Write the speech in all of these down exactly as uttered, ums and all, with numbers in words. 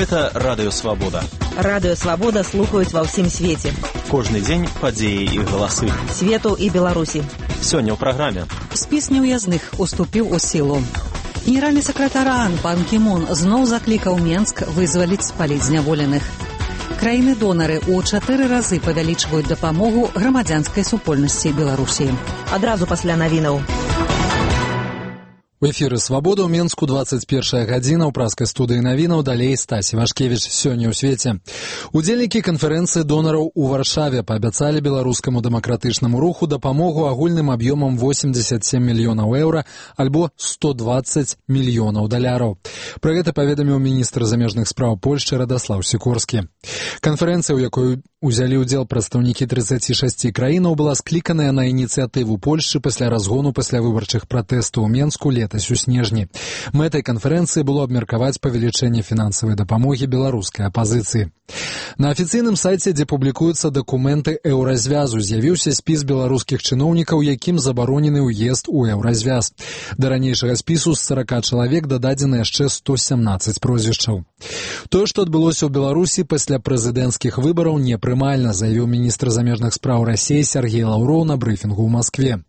Гэта Радыё Свабода. Радыё Свабода слухаюць ва ўсім свеце. Кожны дзень падзеі і галасы. Свету і Беларусі. Сёння ў праграме. Спіс неўязных уступіў у сілу. Генеральны сакратар ААН пан Кімун зноў заклікаў Менск вызваліць з палізняволеных. Краіны-донары ў чатыры разы павялічваюць дапамогу грамадзянскай супольнасці Беларусі. Адразу пасля навінаў. У эфіры «Свабода» ў Менску двадцать першая гадзіна, ў праскай студыі навінаў, далей Стасі Вашкевіч. Сёння ў свеце. Удзельнікі канферэнцыі донараў у Варшаве паабяцалі беларускаму дэмакратычнаму руху дапамогу агульным аб'ёмам восемьдесят семь мільёнаў еўра альбо сто двадцать мільёнаў даляраў. Пра гэта паведаміў міністр замежных спраў Польшчы Радаслаў Сікорскі. Канферэнцыя, у якой узялі ўдзел прадстаўнікі тридцати шасці краінаў, была скліканая на ініцыятыву Польшчы пасля разгону паслявыбарчых пратэстаў у Менску летась у снежні. Мэтай канферэнцыі было абмеркаваць павелічэнне фінансавай дапамогі беларускай апазіцыі. На афіцыйным сайце, дзе публікуюцца дакументы еўразвязу, з'явіўся спіс беларускіх чыноўнікаў, якім забаронены ўезд у еўразвяз. Да ранейшага спісу з сорока чалавек дададзена яшчэ сто семнадцаць прозвішчаў. Тое, што адбылося ў Беларусі пасля прэзідэнцкіх выбараў, непрымальна, заявіў міністр замежных спраў Расіі Сергей Лаўроў на брыфінгу ў Маскве.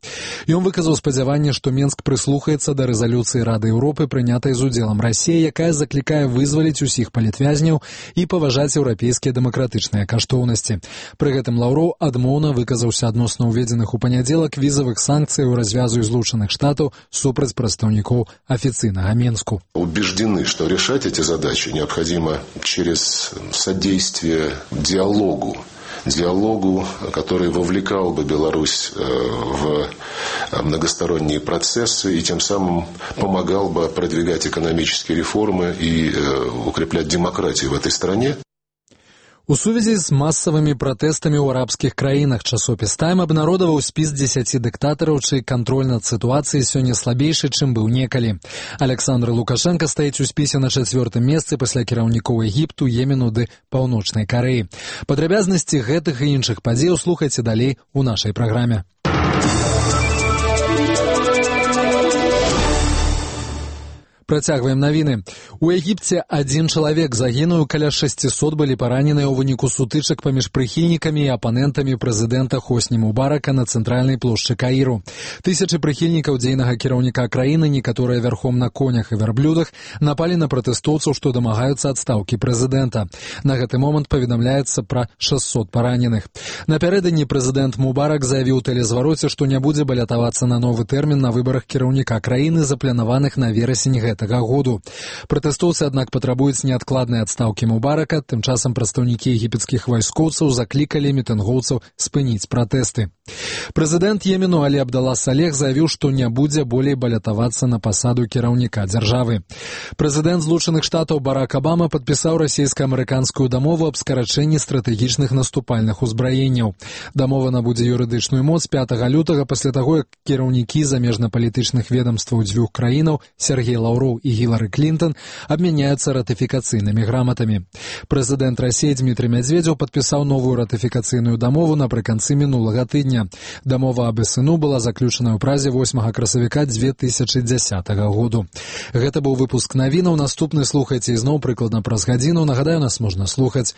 Ён выказаў спадзяванне, што Менск прыслухаецца да рэзалюцыі Рады Еўропы, прынятай з удзелам Расіі, якая заклікае вызваліць усіх палітвязняў і паважаць еўрапейскія дэмакратычныя каштоўнасці. Пры гэтым Лаўроў адмоўна выказаўся адносна ўведзеных у панядзелак візавых санкцыяў развязу Злучаных Штатаў супраць прадстаўнікоў афіцыйнага Менску. Убеждены, что решать эти задачи необходимо через содействие диалогу. Диалогу, который вовлекал бы Беларусь в многосторонние процессы и тем самым помогал бы продвигать экономические реформы и укреплять демократию в этой стране. У сувязі з масавымі пратэстамі ў арабскіх краінах часопіс «Тайм» абнародаваў спіс дзесяці дыктатараў, чый кантроль над сітуацыяй сёння слабейшы, чым быў некалі. Александр Лукашенко стаіць у спісе на чацвёртым месцы пасля кіраўнікоў Егіпту, Йемену ды Паўночнай Карэі. Падрабязнасці гэтых і іншых падзеяў слухайце далей у нашай праграме. Працягваем навіны. У Егіпце адзін чалавек загінуў, каля шасцісот былі параненыя ў выніку сутычак паміж прыхільнікамі і апанентамі прэзідэнта Хосні Мубарака на цэнтральнай плошчы Каіру. Тысячы прыхільнікаў дзейнага кіраўніка краіны, некаторыя вярхом на конях і вярблюдах, напалі на пратэстоўцаў, што дамагаюцца адстаўкі прэзідэнта. На гэты момант паведамляецца пра шэсцьсот параненых. Напярэдадні прэзідэнт Мубарак заявіў у тэлезвароце, што не будзе балятавацца на новы тэрмін на выбарах кіраўніка краіны, запланаваных на верасень гэтага году. Пратэстоўцы, аднак, патрабуюць неадкладнай адстаўкі Мубарака. Тым часам прадстаўнікі егіпецкіх вайскоўцаў заклікалі мітынгоўцаў спыніць пратэсты. Прэзідэнт Йемену Алі Абдалла Салех заявіў, што не будзе болей балятавацца на пасаду кіраўніка дзяржавы. Прэзідэнт Злучаных Штатаў Барак Абама падпісаў расійска-амерыканскую дамову аб скарачэнні стратэгічных наступальных узбраенняў. Дамова набудзе юрыдычную моц пятага лютага пасля таго, як кіраўнікі замежна-палітычных ведамстваў дзвюх краінаў Сергей Лаўроў і Гілары Клінтон абмяняюцца ратыфікацыйнымі граматамі. Прэзідэнт Расіі Дмітрый Мядзведзеў падпісаў новую ратыфікацыйную дамову напрыканцы мінулага тыдня. Дамова аб СНУ была заключана ў Празе восьмага красавіка дзве тысячы дзясятага году. Гэта быў выпуск навінаў. Наступны слухайце ізноў прыкладна праз гадзіну. Нагадаю, нас можна слухаць